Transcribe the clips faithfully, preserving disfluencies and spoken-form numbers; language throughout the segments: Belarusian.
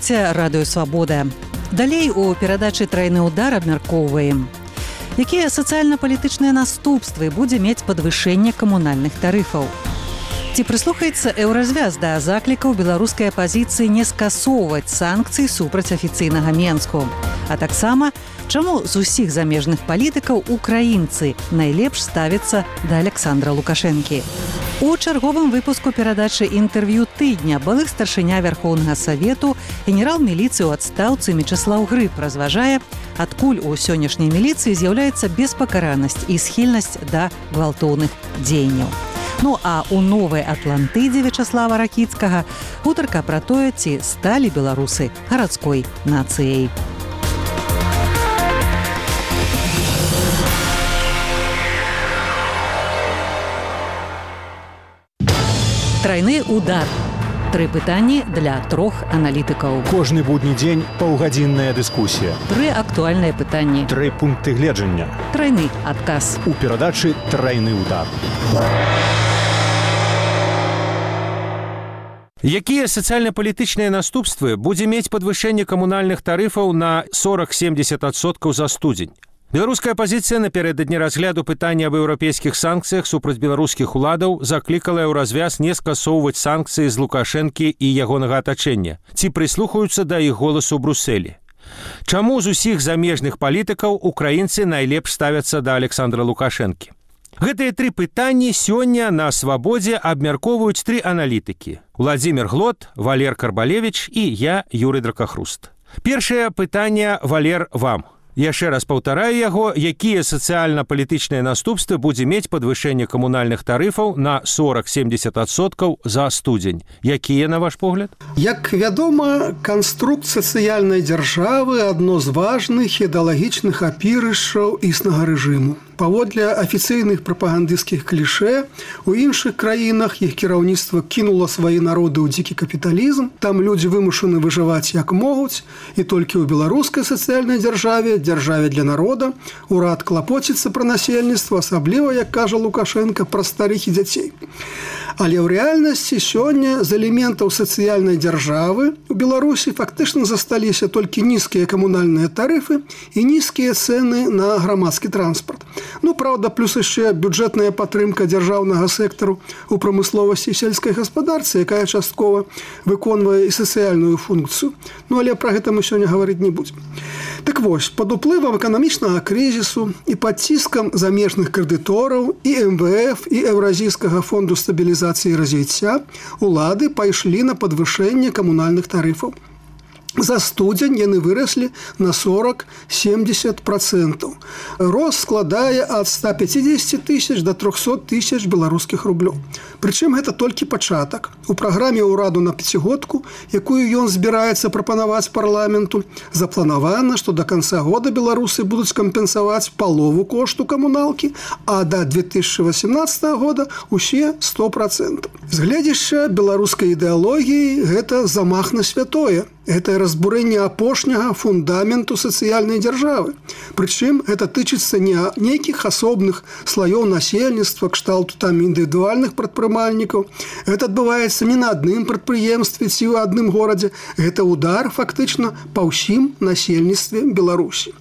Слухайце радыё Свабода. Далей у перадачы «Трайны ўдар» абмяркоўваем. Якія сацыяльна-палітычныя наступствы будзе мець падвышэнне камунальных тарыфаў? Ці прыслухаецца еўразвяз да заклікаў беларускай апазіцыі не скасоўваць санкцыі супраць афіцыйнага Менску? А таксама, чаму з усіх замежных палітыкаў украінцы найлепш ставяцца да Александра Лукашэнкі? У чарговым выпуску перадачы інтэрв'ю тыдня былых старшыня Вярхоўнага Савету, генерал міліцыі ў адстаўцы Мечыслаў Грыб разважае, адкуль у сённяшняй міліцыі з'яўляецца беспакаранасць і схільнасць да гвалтоўных дзеянняў. Ну а у новай Атлантыдзе Вячаслава Ракіцкага гутарка пра тое, ці сталі беларусы гарадской нацыяй. Трайны удар. Тры пытанні для трох аналітыкаў. Кожны будні дзень паўгадзінная дыскусія. Тры актуальныя пытанні. Тры пункты гледжання. Трайны адказ. У перадачы «Трайны удар». Якія сацыяльна-палітычныя наступствы будзе мець падвышэнне камунальных тарыфаў на сорок-семьдесят адсоткаў за студзень? Беларуская апазіцыя напярэдадні разгляду пытання аб еўрапейскіх санкцыях супраць беларускіх уладаў заклікала еўразвяз не скасоўваць санкцыі з Лукашэнкі і ягонага атачэння. Ці прыслухаюцца да іх голасу ў Брусэлі? Чаму з усіх замежных палітыкаў украінцы найлепш ставяцца да Александра Лукашэнкі? Гэтыя тры пытанні сёння на Свабодзе абмяркоўваюць тры аналітыкі. Владзімір Глот, Валер Карбалевіч і я, Юрый Дракахруст. Першае пытанне, Валер, вам. Яшчэ раз паўтараю яго, якія сацыяльна-палітычныя наступствы будзе мець падвышэнне камунальных тарыфаў на сорок-семьдесят адсоткаў за студзень. Якія, на ваш погляд? Як вядома, канструкт сацыяльнай дзяржавы адно з важных ідэалагічных апірышаў існага рэжыму. Паводле афіцыйных прапагандысцкіх клішэ, у іншых краінах іх кіраўніцтва кінула свае народы ў дзікі капіталізм, там людзі вымушаны выжываць як могуць, і толькі ў беларускай сацыяльнай дзяржаве, дзяржаве для народа, урад клапоціцца пра насельніцтва, асабліва, як кажа Лукашенко, пра старых і дзяцей. Але ў рэальнасці сёння з элементаў сацыяльнай дзяржавы у Беларусі фактычна засталіся толькі нізкія камунальныя тарыфы і нізкія цэны на грамадскі транспарт. Ну, правда, плюс яшчэ бюджэтная падтрымка дзяржаўнага сектару у прамысловасці і сельскай гаспадарцы, якая часткова выконвае і сацыяльную функцыю. Ну, але пра гэта мы сёння гаварыць не будзем. Так вось, пад уплывам эканамічнага крызісу і пад ціскам замежных крэдытораў і эм вэ эф, і Еўразійскага фонду стабілізацыі і развіцця улады пайшлі на падвышэнне камунальных тарыфаў. За студзень яны выраслі на сорок-семьдесят процентаў. Рост складае ад ста пяцідзесяці тысяч да трохсот тысяч беларускіх рублёў. Прычым гэта толькі пачатак. У праграме ўраду на пяцігодку, якую ён збіраецца прапанаваць парламенту, запланавана, што да канца года беларусы будуць кампенсаваць палову кошту камуналкі, а да две тысячы васемнаццатага года усе сто процентаў. З гледзяшча беларускай ідэалогіі гэта замах на святое. Гэта разбурэнне апошняга фундаменту сацыяльнай дзяржавы. Прычым гэта тычыцца не нейкіх асобных слаёў насельніцтва, кшталту там індывідуальных прадпрымальнікаў. Гэта адбываецца не на адным прадпрыемстве ці ў адным горадзе. Гэта удар фактычна па ўсім насельніцтве Беларусі.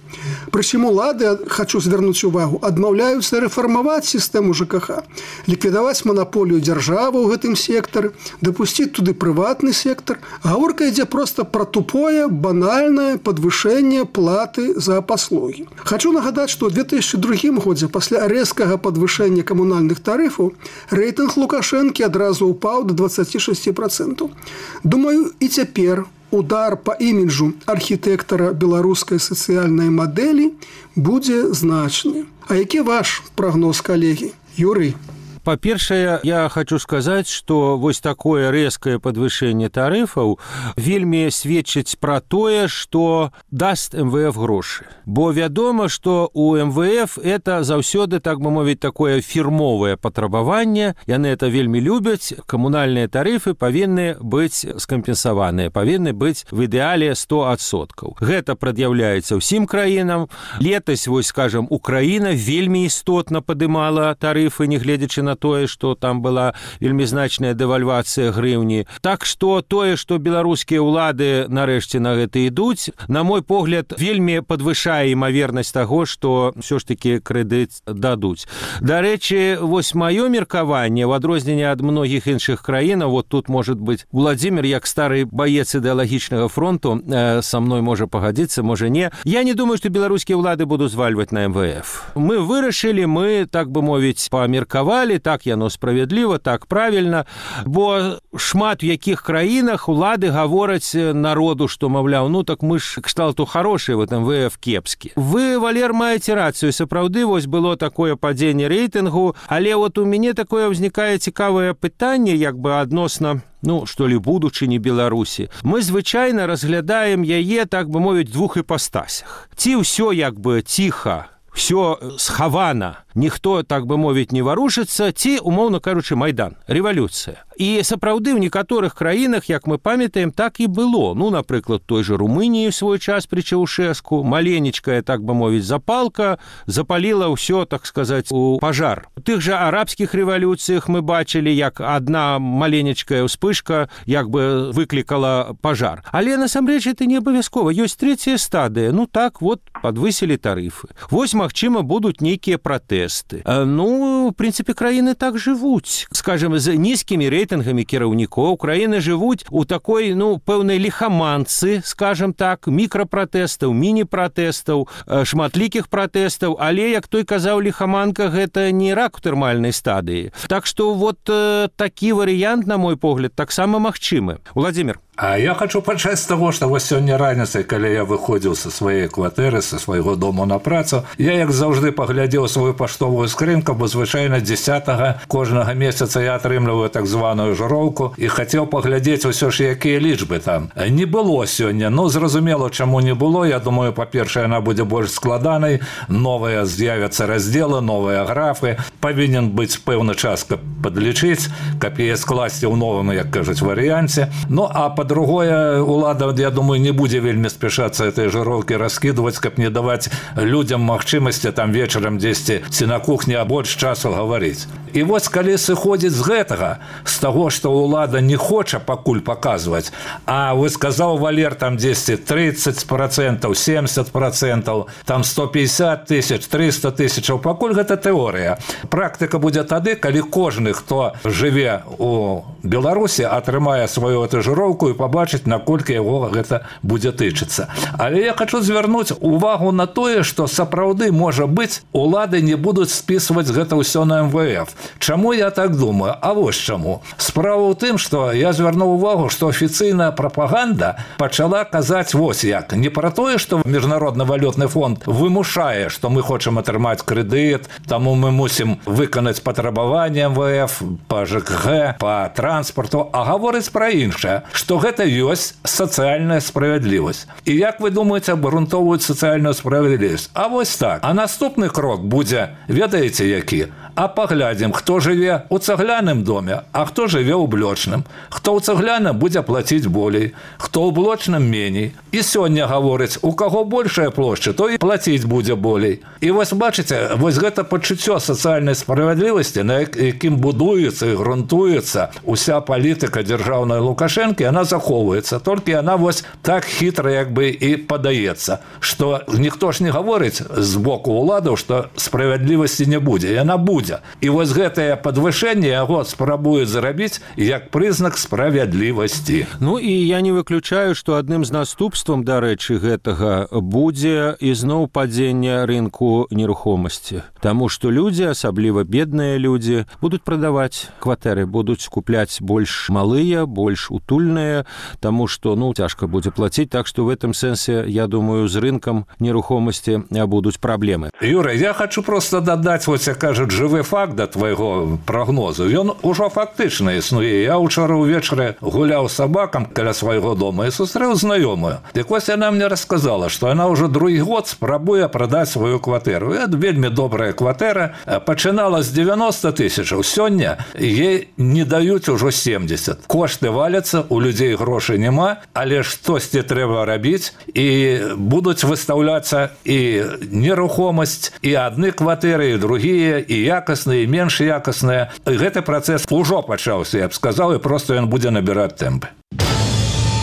Прычым улады, хочу звярнуць увагу, адмаўляюцца рэфармаваць сістэму жэ ка ха, ліквідаваць манаполію дзяржавы ў гэтым сектары, дапусціць туды прыватны сектар. Гаворка ідзе проста пра тупое, банальнае падвышэнне платы за паслугі. Хочу нагадаць, што ў две тысячы другім годзе пасля рэзкага падвышэння камунальных тарыфаў рэйтынг Лукашэнкі адразу ўпаў да дваццаці шасці процентаў. Думаю, і цяпер удар па іміджу архітэктара беларускай сацыяльнай мадэлі будзе значны. А які ваш прагноз, калегі? Юрый? Па-першае, я хочу сказаць, што вось такое рэзкае падвышэнне тарыфаў вельмі сведчыць пра тое, што даст эм вэ эф грошы. Бо вядома, што у эм вэ эф это заўсёды, так бы мовіць, такое фірмовае патрабаванне. Яны это вельмі любяць. Камунальныя тарыфы павінны быць скампенсаваныя, павінны быць в ідэале сто адсоткаў. Гэта прад'яўляецца ўсім краінам. Летась, вось, скажам, Украіна вельмі істотна падымала тарыфы, не гледзячы на на тое, што там была вельмі значная дэвальвацыя грыўні. Так што тое, што беларускія ўлады нарэшце на гэта ідуць, на мой погляд, вельмі падвышае імавернасць таго, што ўсё ж такі крэдыт дадуць. Дарэчы, вось маё меркаванне, в адрозненне ад многіх іншых краінаў, вот тут, может быть, Владимир, як стары баец ідэалагічнага фронту, э, са мной можа пагадзіцца, можа не. Я не думаю, што беларускія ўлады будуць звальваць на эм вэ эф. Мы вырашылі, мы, так бы мовіць, памеркавалі, так яно справядліва, так правільна, бо шмат у якіх краінах улады гавораць народу, што, маўляў, ну так мы ж кшталту хорошыя, вот эм вэ эф кепскі. Вы, Валер, маеце рацыю, сапраўды, вось было такое падзенне рэйтынгу, але вот у мяне такое ўзнікае цікавае пытанне, як бы адносна, ну, што ли, будучыні Беларусі. Мы звычайна разглядаем яе, так бы мовіць, двух іпастасях. Ці ўсё як бы ціха, все схавана, ніхто, так бы мовіць, не варушыцца, ці, умоўна кажучы, Майдан, рэвалюцыя. І сапраўды ў некаторых краінах, як мы памятаем, так і было. Ну, напрыклад, той же Румыніі ў свой час пры Чаўшэску, маленечкая, так бы мовіць, запалка запаліла ўсё, так сказаць, у пажар. У тых жа арабскіх рэвалюцыях мы бачылі, як адна маленечкая ўспышка як бы выклікала пажар. Але насамрэч это не абавязкова. Ёсць трэцяя стадыя. Ну так, вот, падвысілі тарыфы. Вось, магчыма, будуць нейкія пратэсты. Ну, в прынцыпе, краіны так жывуць. Скажем, з нізкімі рэйтынгамі кіраўнікоў краіны жывуць у такой, ну, пэўнай ліхаманцы, скажем так, мікрапратэстаў, міні-пратэстаў, шматлікіх пратэстаў, але, як той казаў, ліхаманка гэта не рак у тэрмальнай стадыі. Так што вот э, такі варыянт, на мой погляд, таксама магчымы. Владимир. А я хочу пачаць з таго, што вось сёння раніцай, калі я выходзіў са сваёй кватэры, са свайго дому на працу, я, як заўжды, паглядзеў сваю паштовую скрынку, бо звычайна дзесятага кожнага месяца я атрымліваю так званую жыроўку і хацеў паглядзець усё ж, якія лічбы там. Не было сёння, ну, зразумела, чаму не было. Я думаю, па-першае, яна будзе больш складанай, новыя з'явяцца раздзелы, новыя графы, павінен быць пэўны час, каб падлічыць, каб яе скласці ў новым, як кажуць, варыянце. Ну, а па-другое, улада, я думаю, не будзе вельмі спяшацца этой жыроўкі раскідваць, каб не даваць людзям магчымасці там вечарам дзесьці ці на кухні больш часу гаварыць. І вось калі сыходзіць з гэтага, з таго, што ўлада не хоча пакуль паказваць, а вы сказаў, Валер, там дзесьці тридцать процентов, семьдесят процентов, там сто пятьдесят тысяч, триста тысячаў, пакуль гэта тэорыя. Практыка будзе тады, калі кожны, хто жыве у Беларусі, атрымае сваю этажыроўку і пабачыць, наколькі яго гэта будзе тычыцца. Але я хочу звярнуць увагу на тое, што сапраўды, можа быць, улады не будуць спісваць гэта ўсё на эм вэ эф. Чаму я так думаю? А вось чаму. Справа ў тым, што я звярнуў увагу, што афіцыйная прапаганда пачала казаць вось як. Не пра тое, што Міжнародны валютны фонд вымушае, што мы хочам атрымаць крэдыт, таму мы мусім выканаць патрабаванне эм вэ эф па жэ ка гэ, па транспарту, а гаворыць пра іншае, што гэта ёсць сацыяльная справядлівасць. І як вы думаеце, абгрунтоўваюць сацыяльную справядлівасць? А вось так. А наступны крок будзе, ведаеце які? А паглядзім, хто жыве ў цагляным доме, а хто жыве ў блочным. Хто ў цагляным будзе плаціць болей, хто ў блочным меней. І сёння гаворыць, у каго большая плошча, то і плаціць будзе болей. І вось бачыце, вось гэта пачуццё сацыяльнай справядлівасці, на якім будуецца і грунтуецца уся палітыка дзяржаўнай Лукашэнкі, яна захоўваецца. Толькі яна вось так хітра як бы і падаецца, што ніхто ж не гаворыць з боку ўладаў, што справядлівасці не будзе. Яна будзе. І вось гэтае падвышэнне яго спрабуюць зарабіць як прызнак справядлівасці. Ну і я не выключаю, што адным з наступствам, дарэчы, гэтага будзе ізноў падзенне рынку нерухомасці. Таму што людзі, асабліва бедныя людзі, будуць прадаваць кватэры, будуць купляць больш малыя, больш утульныя, таму што, ну, цяжка будзе плаціць, так што в этом сэнсе, я думаю, з рынкам нерухомасці будуць праблемы. Юра, я хочу просто дадаць, вось як кажуць, жывы факт да твайго прагнозу. Ён ужо фактычна існуе. Я ўчора ўвечары гуляў з сабакам каля свайго дома і сустрэў знаёмую. Дык вось яна мне расказала, што яна ўжо другі год спрабуе прадаць сваю кватэру. Это вельмі добрая кватэра. Пачынала з девяносто тысячаў. Сёння ей не даюць ужо семьдесят. Кошты валяцца, у людзей грошай няма, але штосьці трэба рабіць, і будуць выстаўляцца і нерухомасць, і адны кватэры, і другія, і якасныя, менш якасныя. Гэты працэс ужо пачаўся, я б сказаў, і проста ён будзе набіраць тэмпы.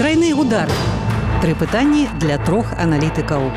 Трайны удар. Тры пытанні для трох аналітыкаў.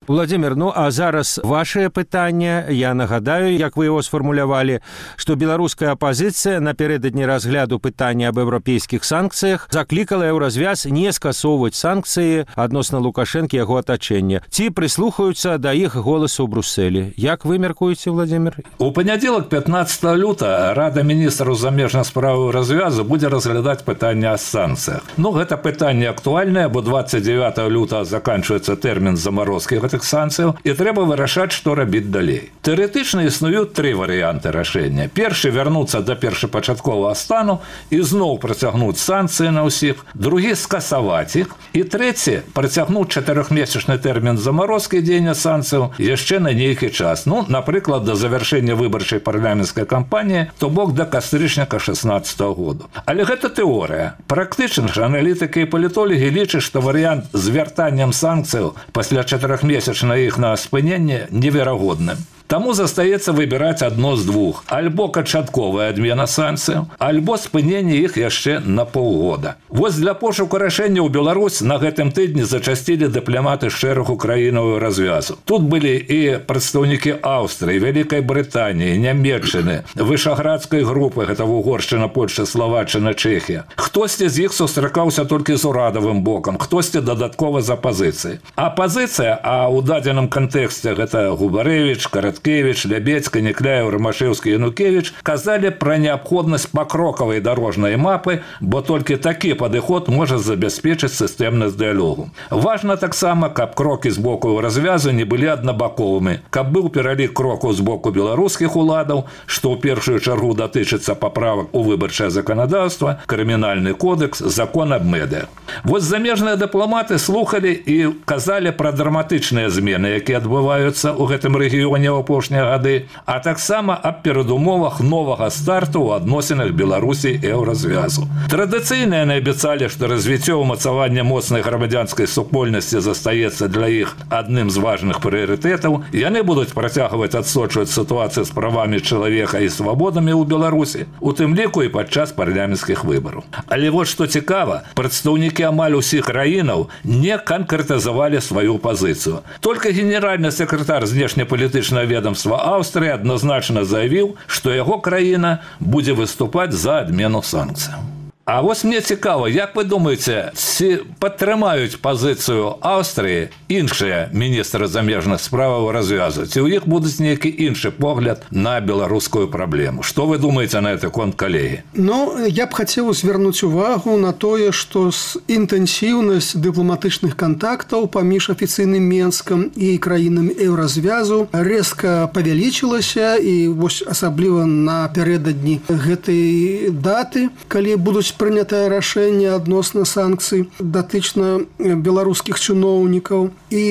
Владимир, ну а зараз ваше пытанне. Я нагадаю, як вы его сфармулявалі, што беларуская апазіцыя напярэдадні разгляду пытання аб еўрапейскіх санкцыях заклікала еўразвяз не скасоўваць санкцыі адносна Лукашэнкі і яго атачэння. Ці прыслухаюцца да іх голасу ў Брусэлі? Як вы мяркуеце, Владимир? У панядзелак пятнадцатага лютага Рада міністраў замежных спраў развязу будзе разглядаць пытанне о санкцыях. Ну, гэта пытанне актуальнае, бо двадцать девятого лютага заканчваецца тэрмін замарозкі гэтых санкцыяў, і трэба вырашаць, што рабіць далей. Тэарэтычна існуюць тры варыянты рашэння. Першы вярнуцца да першапачатковага стану і зноў працягнуць санкцыі на ўсіх, другі скасаваць іх, і трэці працягнуць чатырохмесячны тэрмін замарозкі дзеяння санкцыяў яшчэ на нейкі час. Ну, напрыклад, да завяршэння выбарчай парламенцкай кампаніі, то бок да кастрычніка шэснаццатага году. Але гэта тэорыя. Практычна ж аналітыкі і палітолагі лічаць, што варыянт з вяртаннем санкцыяў пасля чатырохмесячных на іх на спыненне неверагодным. Таму застаецца выбіраць адно з двух. Альбо канчатковая адмена санкцыяў, альбо спыненне іх яшчэ на паўгода. Вось для пошуку рашэння ў Беларусь на гэтым тыдні зачасцілі дыпламаты шэрагу краінаў развязу. Тут былі і прадстаўнікі Аўстрыі, Вялікай Брытаніі, Нямецчыны, Вышаградскай групы, гэта Угоршчына, Польшча, Славаччына, Чэхія. Хтосьці з іх сустракаўся толькі з урадавым бокам, хтосьці дадаткова з апазіцыяй. Апазіцыя, а ў дадзеным кантэксце гэта Губарэвіч, Караткевич, Лябедзька, Некляеў, Рамашэўскі, Янукевич казалі пра неабходнасць пакрокавай дарожнай мапы, бо толькі такі падыход можа забяспечыць сістэмнасць дыялогу. Важна таксама, каб крокі з боку развязу не былі аднабаковымі, каб быў пералік крокаў з боку беларускіх уладаў, што ў першую чаргу датычыцца паправак у выбарчае заканадаўства, крымінальны кодэкс, закон аб медыа. Вось замежныя дыпламаты слухалі і казалі пра драматычныя змены, якія адбываюцца ў гэтым рэгіёне ў апошнія гады, а таксама аб перадумовах новага старту ў адносінах Беларусі і еўразвязу. Традыцыйна яны абяцалі, што развіццё ўмацавання моцнай грамадзянскай супольнасці застаецца для іх адным з важных прыярытэтаў. Яны будуць працягваць адсочваць сітуацыю з правамі чалавека і свабодамі ў Беларусі, у тым ліку і падчас парламенцкіх выбараў. Але вот што цікава, прадстаўнікі амаль усіх краінаў не канкрэтызавалі сваю пазіцыю. Толькі генеральны сакратар знешнепалітычнага ведомства Аўстрыі адназначна заявіў, што яго краіна будзе выступаць за адмену санкцыяў. А вось мне цікава, як вы думаеце, ці падтрымаюць пазіцыю Аўстрыі іншыя міністры замежных справаў развязу? Ці ў іх будуць нейкі іншы погляд на беларускую праблему? Што вы думаеце на гэты конт, калегі? Ну, я б хацеў звярнуць увагу на тое, што інтэнсіўнасць дыпламатычных кантактаў паміж афіцыйным Менскам і краінамі еўразвязу рэзка павялічылася, і вось асабліва напярэдадні гэтай даты, калі будуць прынятае рашэнне адносна санкцый датычна беларускіх чыноўнікаў. І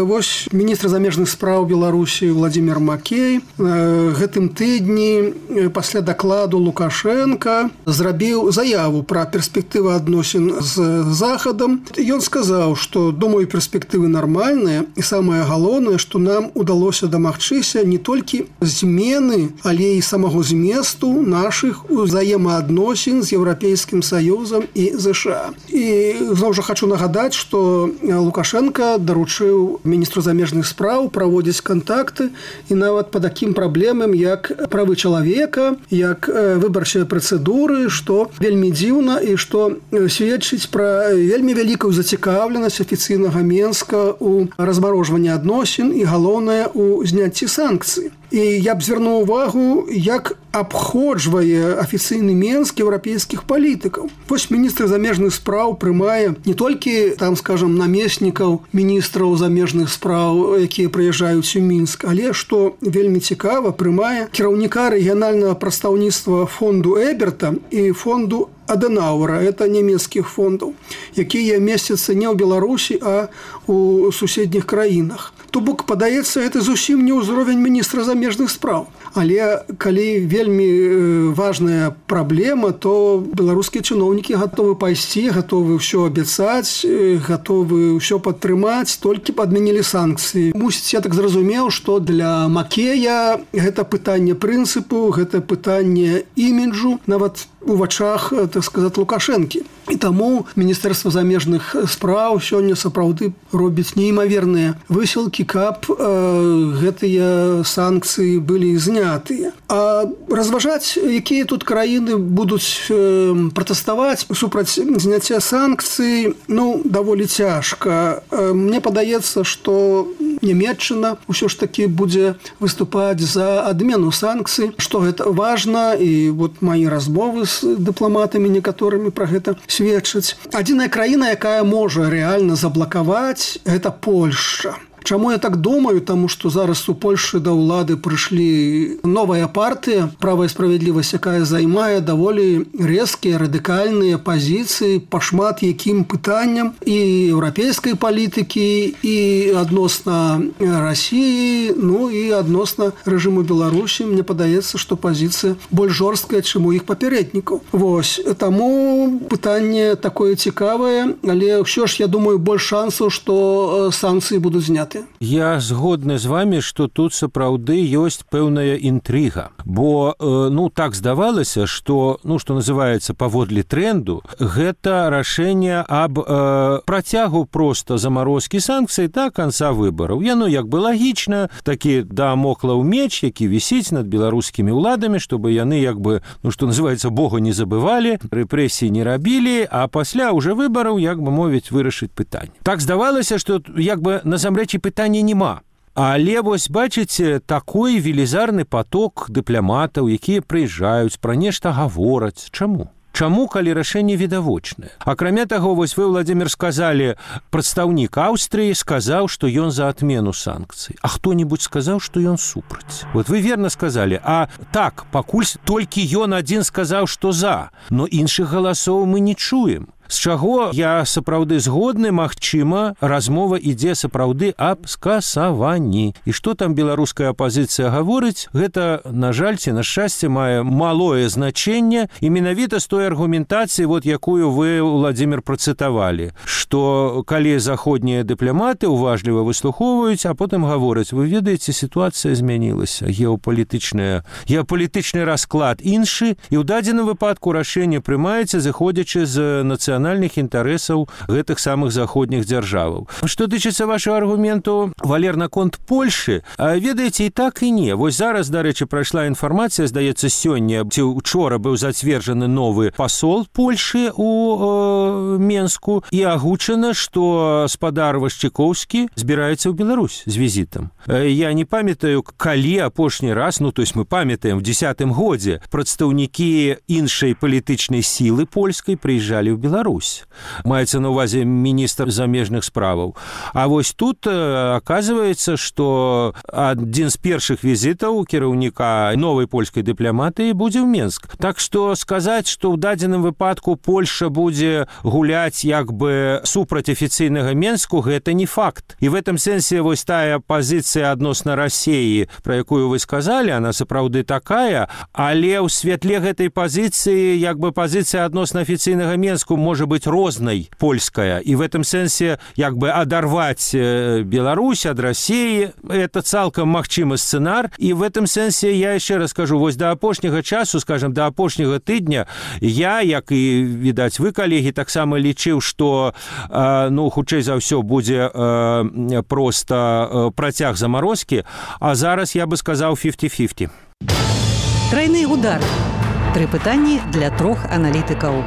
вось міністр замежных спраў Беларусі Владимир Макей гэтым тыдні пасля дакладу Лукашенка зрабіў заяву пра перспектывы адносін з Захадам. Ён сказаў, што, думаю, перспектывы нармальныя, і самае галоўнае, што нам удалося дамагчыся не толькі змены, але і самого зместу нашых узаемаадносін з еўрапейскім Саюзам і ЗША. І зноў жа хочу нагадаць, што Лукашенко даручыў міністру замежных спраў праводзіць кантакты і нават па такім праблемам, як правы чалавека, як выбарчыя працэдуры, што вельмі дзіўна і што сведчыць пра вельмі вялікую зацікаўленасць афіцыйнага Менска ў размарожванні адносін і, галоўнае, у зняцці санкцый. І я б звярнуў увагу, як абходжвае афіцыйны Менск еўрапейскіх палітыкаў. Вось міністр замежных спраў прымае не толькі, там, скажам, намеснікаў міністраў замежных спраў, якія прыязджаюць у Мінск, але, што вельмі цікава, прымае кіраўніка рэгіянальнага прадстаўніцтва фонду Эберта і фонду Аденауэра, это нямецкіх фондаў, якія месцяцца не ў Беларусі, а у суседніх краінах. То бок, падаецца, гэта зусім не ўзровень міністра замежных спраў. Але калі вельмі важная праблема, то беларускія чыноўнікі гатовы пайсці, гатовы ўсё абяцаць, гатовы ўсё падтрымаць, толькі б адмянілі санкцыі. Мусіць, я так зразумеў, што для Макея гэта пытанне прынцыпу, гэта пытанне іміджу, нават у вачах, так сказаць, Лукашэнкі. І таму Міністэрства замежных спраў сёння сапраўды робіць неймаверныя высілкі, каб э, гэтыя санкцыі былі знятыя. А разважаць, якія тут краіны будуць э, пратэставаць супраць зняцця санкцый, ну, даволі цяжка. Э, мне падаецца, што Нямецчына ўсё ж такі будзе выступаць за адмену санкцый, што гэта важна, і вот мои размовы з дыпламатамі некаторымі пра гэта сведчаць. Адзіная краіна, якая можа рэальна заблакаваць, гэта Польшча. Чаму я так думаю? Таму што зараз у Польшы да ўлады прыйшлі новая партыя «Права і справядлівасць», якая займае даволі рэзкія, радыкальныя пазіцыі па шмат якім пытанням і еўрапейскай палітыкі, і адносна Расіі, ну і адносна рэжыму Беларусі. Мне падаецца, што пазіцыя больш жорсткая, чым у іх папярэднікаў. Вось. Таму пытанне такое цікавае, але ўсё ж, я думаю, больш шансаў, што санкцыі будуць зняты. Я згодны з вами, што тут сапраўды ёсць пэўная інтрыга, бо ну так здавалася, што ну што называецца паводле тренду, гэта рашэнне аб э, працягу проста замарозкі санкцый да канца выбараў. Яно як бы лагічна, такі дамоклаў меч, які вісіць над беларускімі ўладамі, чтобы яны як бы, ну што называецца, Бога не забывалі, рэпрэсіі не рабілі, а пасля уже выбараў, як бы мовіць, вырашыць пытанне. Так здавалася, што як бы насамрэч пытання няма. Але вось бачыце, такой велізарны поток дыпламатаў, якія прыязджаюць, пра нешта гавораць. Чаму? Чаму, калі рашэнне відавочнае? Акрамя таго, вось вы, Владзімір, сказалі, прадстаўнік Аўстрыі сказаў, што ён за адмену санкцый. А хто-небудзь сказаў, што ён супраць. Вот вы верна сказалі. А так, пакуль толькі ён адзін сказаў, што за, но іншых галасоў мы не чуем. З чаго я сапраўды згодны, магчыма, размова ідзе сапраўды аб скасаванні. І што там беларуская апазіцыя гаворыць, гэта, на жаль, ці на шчасце, мае малое значэнне, і менавіта з той аргументацыі, вот, якую вы, Владзімір, працытавалі, што калі заходнія дыпламаты уважліва выслухоўваюць, а потым гавораць, вы ведаеце, сітуацыя змянілася, геапалітычная, геапалітычны расклад іншы, і ў дадзеным выпадку рашэнне прымаецца, зыходзячы з нацыянальных нацыянальных інтарэсаў гэтых самых заходніх дзяржаваў. Што тычыцца вашего аргументу, Валер, наконт Польшы, ведаеце, і так і не. Вось зараз, дарэчы, прайшла інфармацыя, здаецца, сёння ці учора быў зацверджаны новы пасол Польшы у э, Менску, і агучана, што спадар Вашчыкоўскі збіраецца ў Беларусь з візітам. Я не памятаю, калі апошні раз, ну, то есть мы памятаем, в дзесятым годзе прадстаўнікі іншай палітычнай сілы польскай прыязджалі ў Беларусь. Маецца на ўвазе міністр замежных справаў. А вось тут аказваецца, што адзін з першых візітаў кіраўніка новай польскай дыпламатыі будзе ў Менск. Так што сказаць, што ў дадзеным выпадку Польша будзе гуляць як бы супраць афіцыйнага Менску, гэта не факт. І в этом сэнсе вось тая пазіцыя адносна Расіі, пра якую вы сказалі, она сапраўды такая, але ў святле гэтай пазіцыі як бы пазіцыя адносна афіцыйнага Менску может быть рознай польская, и в этом сэнсе як бы адарваць Беларусь ад России, это цалкам магчымы сцэнар, и в этом сэнсе я яшчэ раз скажу, вось да апошняга часу, скажем, да апошняга тыдня, я, як і, відаць, вы, калегі, таксама лічыў, што, э, ну, хутчэй за ўсё будзе э, проста э, працяг замарозкі, а зараз я бы сказаў фіфці-фіфці. Трайны удар. Тры пытанні для трох аналітыкаў.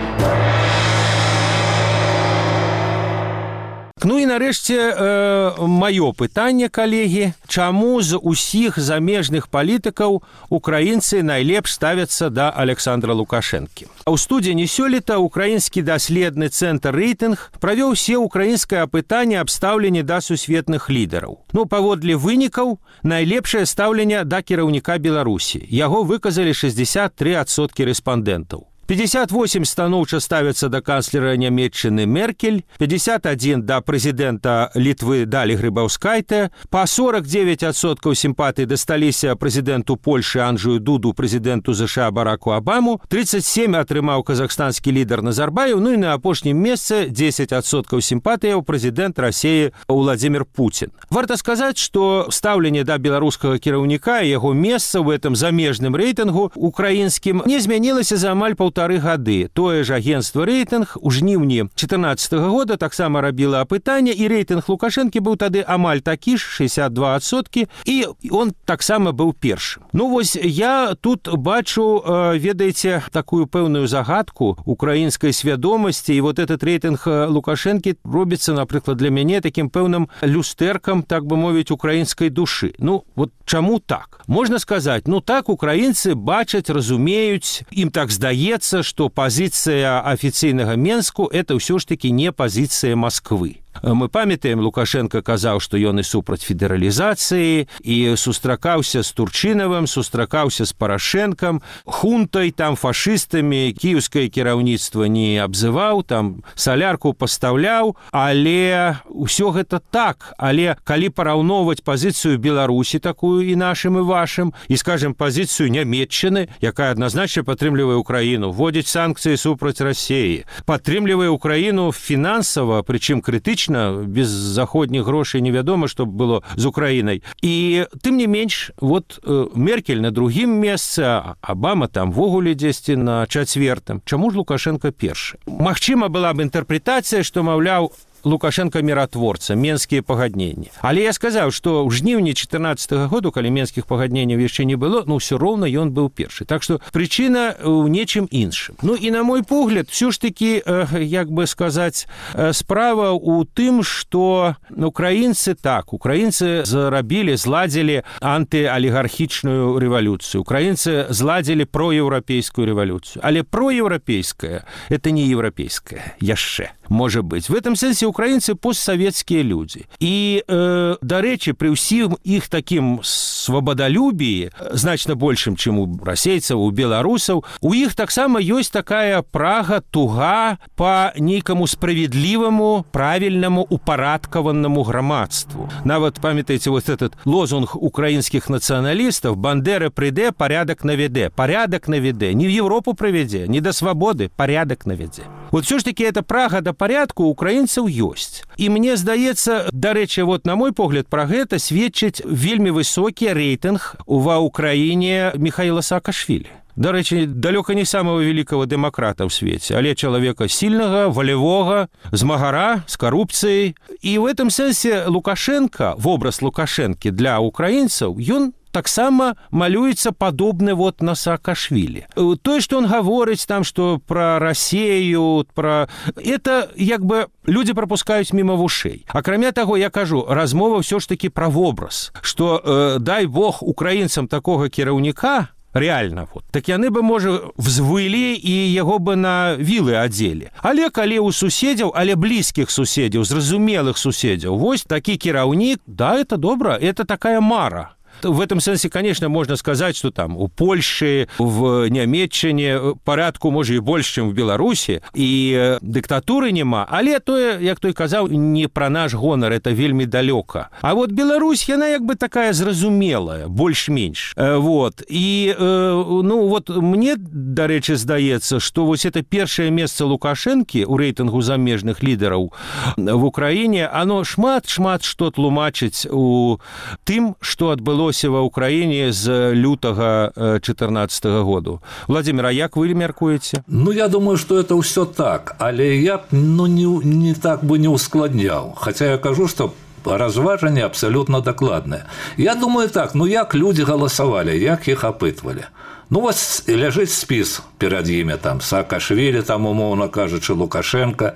Ну і нарэшце э, маё пытанне, калегі, чаму з усіх замежных палітыкаў украінцы найлепш ставяцца да Александра Лукашэнкі? У студзені сёлета украінскі даследны цэнтр рэйтынг правёў усе украінскае апытанне аб стаўленні да сусветных лідараў. Ну, паводле вынікаў, найлепшае стаўленне да кіраўніка Беларусі. Яго выказалі шэсцьдзесят тры адсоткі рэспандэнтаў. пятьдесят восемь станоўча ставятся да канцлера Нямецчыны Меркель, пятьдесят один да прэзідэнта Літвы Далі Грыбаўскайте, па сорок девять адсоткаў сімпатый дасталіся прэзідэнту Польшы Анджею Дуду, прэзідэнту ЗША Бараку Абаму, тридцать семь атрымаў казахстанскі лідар Назарбаев, ну і на апошнім месцы десять адсоткаў сімпатыяў прэзідэнт Расіі Владимир Путин. Варта сказаць, што стаўленне да беларускага кіраўніка і яго месца ў гэтым замежным рэйтынгу украінскім не змянілася за амаль паўтары гады. Тое ж агенцтва рэйтынг у жніўні чатырнаццатага года таксама рабіла апытанне, і рэйтынг Лукашэнкі быў тады амаль такі ж, шестьдесят два адсоткі, і он таксама быў першым. Ну вось я тут бачу, ведаеце, такую пэўную загадку украінскай свядомасці, і вот этот рэйтынг Лукашэнкі робіцца, напрыклад, для мяне такім пэўным люстэркам, так бы мовіць, украінскай душы. Ну, вот чаму так? Можна сказаць, ну так украінцы бачаць, разумеюць, ім так здаецца, што пазіцыя афіцыйнага Менску – это ўсё ж такі не пазіцыя Масквы. Мы памятаем, Лукашенко казаў, што ён і супраць федэралізацыі, і сустракаўся з Турчынавым, сустракаўся з Парашэнкам, хунтай, там, фашыстамі, кіеўскае кіраўніцтва не абзываў, там, салярку пастаўляў, але ўсё гэта так. Але калі параўноўваць пазіцыю Беларусі, такую і нашым, і вашым, і, скажем, пазіцыю Нямецчыны, якая адназначна падтрымлівае Украіну, вводзіць санкцыі супраць Расіі, падтрымлівае Украіну фінансава, прычым крытычна, без заходніх грошай невядома, што было з Украінай. І тым не менш, вот Меркель на другім месцы, Абама там вогуле дзесьці на чацвертым. Чаму ж Лукашенко першы? Магчыма, была б інтэрпрэтацыя, што, маўляў, Лукашенко міратворца, менскія пагадненні. Але я сказаў, што ў жніўні чатырнаццатага году, калі менскіх пагадненняў яшчэ не было, ну, ўсё роўна ён быў першы. Так што прычына ў нечым іншым. Ну, і на мой погляд, ўсё ж такі, як бы сказаць, справа ў тым, што украінцы так, украінцы зарабілі, зладзілі антыалігархічную рэвалюцыю. Украінцы зладзілі проеўрапейскую рэвалюцыю. Але проеўрапейская – это не еўрапейская яшчэ. Можа быць. В этом сэнсе украінцы постсавецкія людзі. І, э, дарэчы, пры ўсім іх такім свабадалюбіі, значна большым, чым у расейцаў, у беларусаў, у іх таксама ёсць такая прага, туга па нейкаму справедліваму, правільнаму, упарадкаваннаму грамадству. Нават, памятаеце, вот этот лозунг украінскіх нацыяналістаў «Бандера прыйдэ, парядак навядзе». Парядак навядзе. Не в Европу прывядзе, не да свабоды, парядак навядзе. Вот все ж таки эта прага да парядку у украінцаў ёсць. І мне здаецца, дарэчы, вот на мой погляд, пра гэта сведчыць вельмі высокі рэйтынг ва Украіне Михаила Саакашвілі. Дарэчы, далёка не самого великого дэмакрата ў свеце, але чалавека сильнага, волевога, змагара, з карупцыяй. І в этом сэнсе Лукашенко, вобраз Лукашэнкі для украінцаў, ён таксама малюецца падобны вот на Саакашвілі. Тое, што он гаворыць там, што пра Расею, пра... это, як бы, людзі прапускаюць міма вушэй. Акрамя таго, я кажу, размова ўсё ж такі пра вобраз, што, э, дай Бог, украінцам такога кіраўніка, реально, вот, так яны бы, можа, взвылі і яго бы на вілы адзелі. Але калі ў суседзяў, але блізкіх суседзяў, зразумелых суседзяў, вось такі кіраўнік, да, это добра, это такая мара. В этом сэнсе, конечно, можно сказать, что там у Польши, в Нямецчыне порядку, может, и больше, чем в Беларуси, и диктатуры нема, але тое, як той казаў, не про наш гонор, это вельмі далёка. А вот Беларусь, яна як бы такая зразумелая, больш-менш. Вот. И, ну, вот мне, дарэчы, здаецца, что вот это першае месца Лукашэнкі у рэйтынгу замежных лідараў в Украине, оно шмат-шмат што тлумачыць у тым, што адбылося ва Украине з лютага чатырнаццатага году. Владимир, а як вы мяркуеце? Ну, я думаю, что это все так, але я ну, не, не так бы не ускладнял. Хотя я кажу, что разважанне абсолютно докладное. Я думаю так, ну як люди голосовали, як их опытывали. Ну, вот ляжыць спіс перад імі, там, Саакашвілі, там, умоўна кажучы, Лукашенко,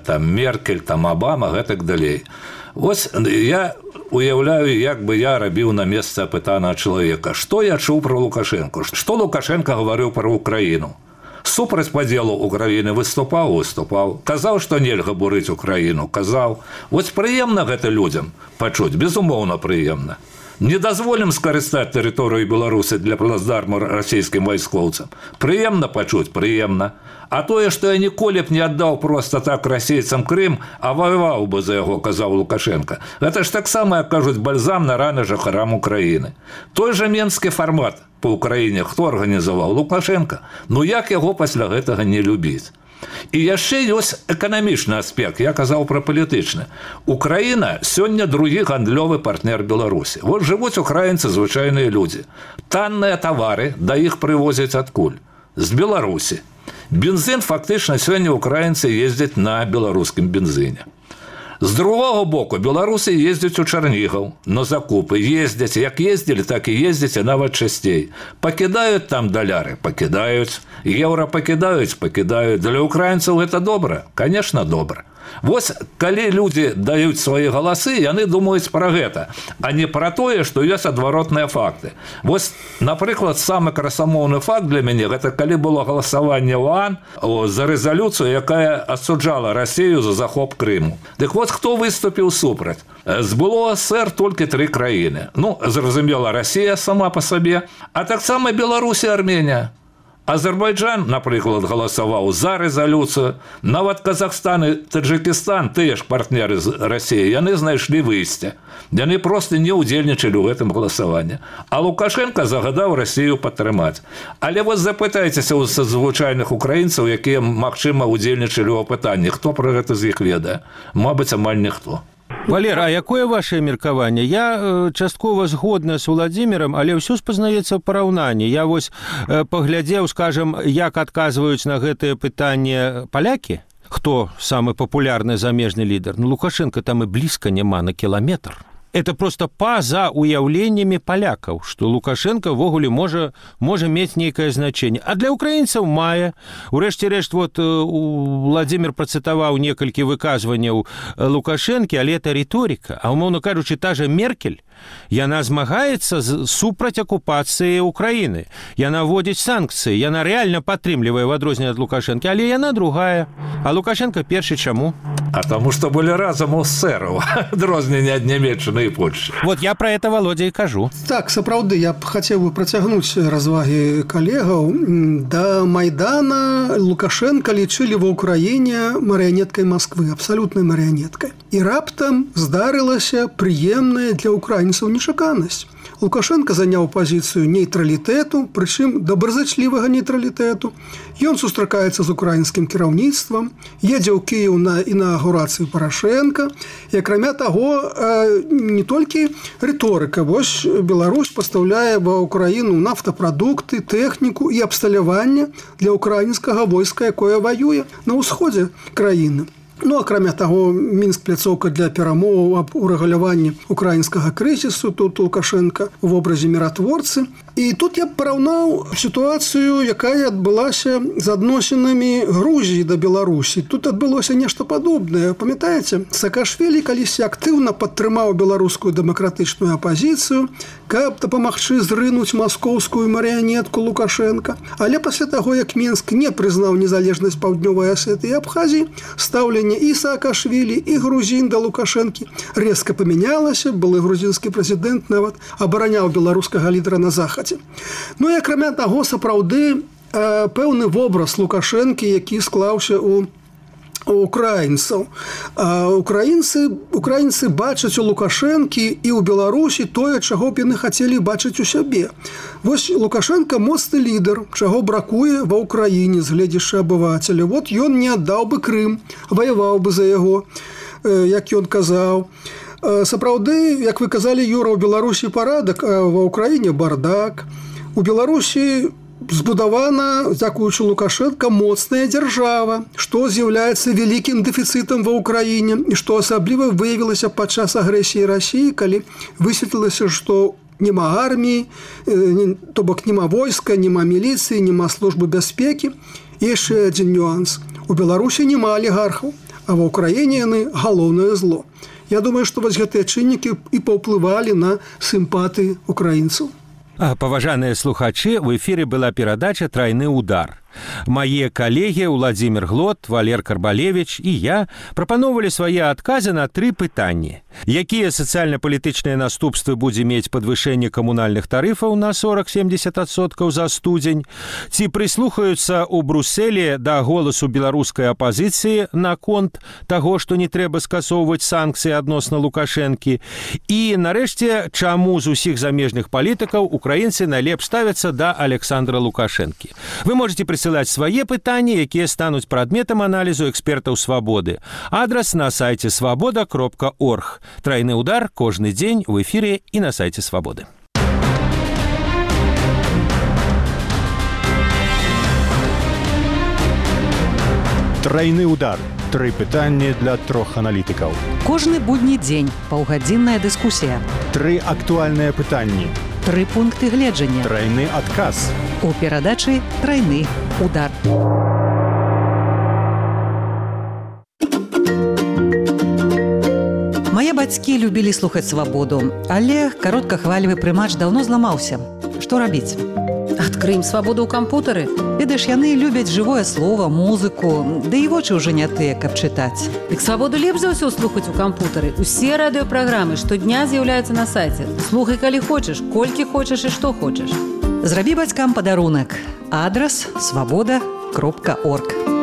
там, Меркель, там, Обама, гэтак далей. Вось я уяўляю, як бы я рабіў на месцы апытанага чалавека. Што я чуў пра Лукашенко? Што Лукашенко гаварыў пра Украіну? Супраць падзелу Украіны выступаў, выступаў. Казаў, што нельга бурыць Украіну, казаў. Вось прыемна гэта людзям пачуць, безумоўна прыемна. Не дазволім скарыстаць тэрыторыю Беларусі для плацдарму расійскім вайскоўцам. Прыемна пачуць, прыемна. А тое, што я ніколі б не аддаў проста так расейцам Крым, а ваяваў бы за яго, казаў Лукашенко. Гэта ж таксама, як кажуць, бальзам на раны жыхарам Украіны. Той жа менскі фармат па Украіне хто арганізаваў? Лукашенко. Ну як яго пасля гэтага не любіць? І яшчэ ёсць эканамічны аспект, я казаў пра палітычны. Украіна сёння другі гандлёвы партнер Беларусі. Вот жывуць украінцы, звычайныя людзі. Танныя тавары да іх прывозяць адкуль? З Беларусі. Бензин фактычна сёння украінцы ездзяць на беларускім бензине. З другого боку, беларусы ездзяць у Чарнігаў на закупы, ездзяць, як ездзілі, так і ездзяць, і нават часцей. Пакідаюць там даляры, пакідаюць, еўра пакідаюць, пакідаюць. Для украінцаў гэта добра? Конечно, добра. Вось, калі людзі даюць свае галасы, яны думаюць пра гэта, а не пра тое, што ёсць адваротныя факты. Вось, напрыклад, самы красамоўны факт для мяне, гэта калі было галасаванне ў ОАН за рэзалюцыю, якая асуджала Расію за захоп Крыму. Дык вот, хто выступіў супраць? З было СССР толькі тры краіны. Ну, зразумела, Расія сама па сабе, а таксама Беларусь і Арменія. Азербайджан, напрыклад, галасаваў за рэзалюцыю. Нават Казахстан і Таджикістан, тыя ж партнеры з Расіі, яны знайшлі выйсце. Яны проста не ўдзельнічалі ў гэтым галасаванні. А Лукашенко загадаў Расію падтрымаць. Але вот запытайцеся ў звычайных украінцаў, якія, магчыма, ўдзельнічалі ў апытанні. Хто пра гэта з іх ведае? Мабыць, амаль ніхто. Валер, а якое ваше меркаванне? Я э, часткова згодна з Владзімірам, але ўсё спазнаецца ў параўнанні. Я вось э, паглядзеў, скажам, як адказваюць на гэтае пытанне палякі. Хто самы папулярны замежны лідар? Ну, Лукашенко там і блізка няма на кіламетр. Это просто па-за уяўленнямі палякаў, што Лукашенко ввогуле можа, можа мець нейкае значэнне. А для украінцаў мае. Урэшце рэшт, вот Владзімір працытаваў некалькі выказванняў Лукашэнкі, але это рыторыка. А умоўна кажучы, та же Меркель, яна змагаецца супраць акупацыі Украіны. Яна вводзіць санкцыі, яна рэальна падтрымлівае в адрозненне ад Лукашэнкі, але яна другая. А Лукашенко першы чаму? А таму, што былі разам у эсэраў, адрозненне ад Нямецчыны і Польшчы. Вот я про это, Володя, і кажу. Так, сапраўды, я б хацеў бы працягнуць развагі калегаў. Да Майдана Лукашенко лічылі ва ўкраіне марыянеткай Масквы, абсалютнай марыянеткай. І раптам здарылася прыемная для украінцаў нечаканасць. Лукашенко заняў пазіцыю нейтралітэту, прычым добразычлівага нейтралітэту. Ён сустракаецца з украінскім кіраўніцтвам, едзе ў Кіеў на інаўгурацыю Парашенка. І акрамя таго, не толькі рыторыка. Вось Беларусь пастаўляе ва ўкраіну нафтапрадукты, тэхніку і абсталяванне для украінскага войска, якое ваюе на ўсходзе краіны. Ну, акрамя таго, Мінск пляцоўка для перамоваў аб урэгуляванні украінскага крызісу, тут Лукашенко в образе міратворцы. І тут я б параўнаў сітуацыю, якая адбылася з адносінамі Грузіі да Беларусі. Тут адбылося нешта падобнае. Памятаеце, Саакашвілі калісьці актыўна падтрымаў беларускую дэмакратычную апазіцыю, каб дапамагчы зрынуць маскоўскую марыянетку Лукашенка. Але пасля таго, як Мінск не прызнаў незалежнасць Паўднёвай Асетыі і Абхазіі, стаўленне і Саакашвілі, і грузін да Лукашэнкі резка памянялася. Былы грузінскі прэзідэнт нават абараняў беларускага лідара на захадзе. Ну і акрамя таго, сапраўды пэўны вобраз Лукашэнкі, які склаўся у украінцаў. Украінцы, украінцы бачаць у Лукашэнкі і ў Беларусі тое, чаго б яны хацелі бачыць у сябе. Вось Лукашенко моцны лідар, чаго бракуе ва ўкраіне з гледзяшча абывацеля. Вот ён не аддаў бы Крым, ваяваў бы за яго, як ён казаў. Сапраўды, як вы казалі, Юра, у Беларусі парадак, а ва ўкраіне бардак. У Беларусі збудавана, дзякуючы Лукашенко, моцная дзяржава, што з'яўляецца вялікім дэфіцытам ва ўкраіне і што асабліва выявілася падчас агрэсіі Расіі, калі высветлілася, што няма арміі, то бок няма войска, няма міліцыі, няма службы бяспекі. І яшчэ адзін нюанс. У Беларусі няма алігархаў, а ва ўкраіне яны галоўнае зло. Я думаю, што вось гэтыя чыннікі і паўплывалі на сімпатыі украінцаў. Паважаныя слухачы, у эфіры была перадача «Трайны удар». Мае калегі Владзімір Глот, Валер Карбалевіч і я прапаноўвалі свае адказы на тры пытанні. Якія сацыяльна-палітычныя наступствы будзе мець падвышэнне камунальных тарыфаў на сорок-семьдесят адсоткаў за студзень? Ці прыслухаюцца ў Брусэлі да голасу беларускай апазіцыі наконт таго, што не трэба скасоўваць санкцыі адносна Лукашэнкі? І, нарэшце, чаму з усіх замежных палітыкаў украінцы найлепш ставяцца да Александра Лукашэнкі? Вы можете прысылаць свае пытанні, якія стануць прадметам аналізу экспертаў «Свабоды». Адрас на сайце свабода кропка орг. Трайны удар кожны дзень у эфіре і на сайце «Свабоды». Трайны удар. Тры пытанні для трох аналітыкаў. Кожны будні дзень паўгадзінная дыскусія. Тры актуальныя пытанні. Тры пункты гледжання. Трайны адказ. У перадачы «Трайны удар». Мае бацькі любілі слухаць «Свабоду», але кароткахвалевы прымач даўно зламаўся. Што рабіць? Адкрыем «Свабоду» ў кампутары. Ведаеш, яны любяць жывое слова, музыку, ды і вочы ўжо не тыя, каб чытаць. Дык «Свабоду» лепш за ўсё слухаць у кампутары. Усе радыёпраграмы штодня з'яўляюцца на сайце. Слухай, калі хочаш, колькі хочаш і што хочаш. Зрабі бацькам падарунак. Адрас свабода кропка орг.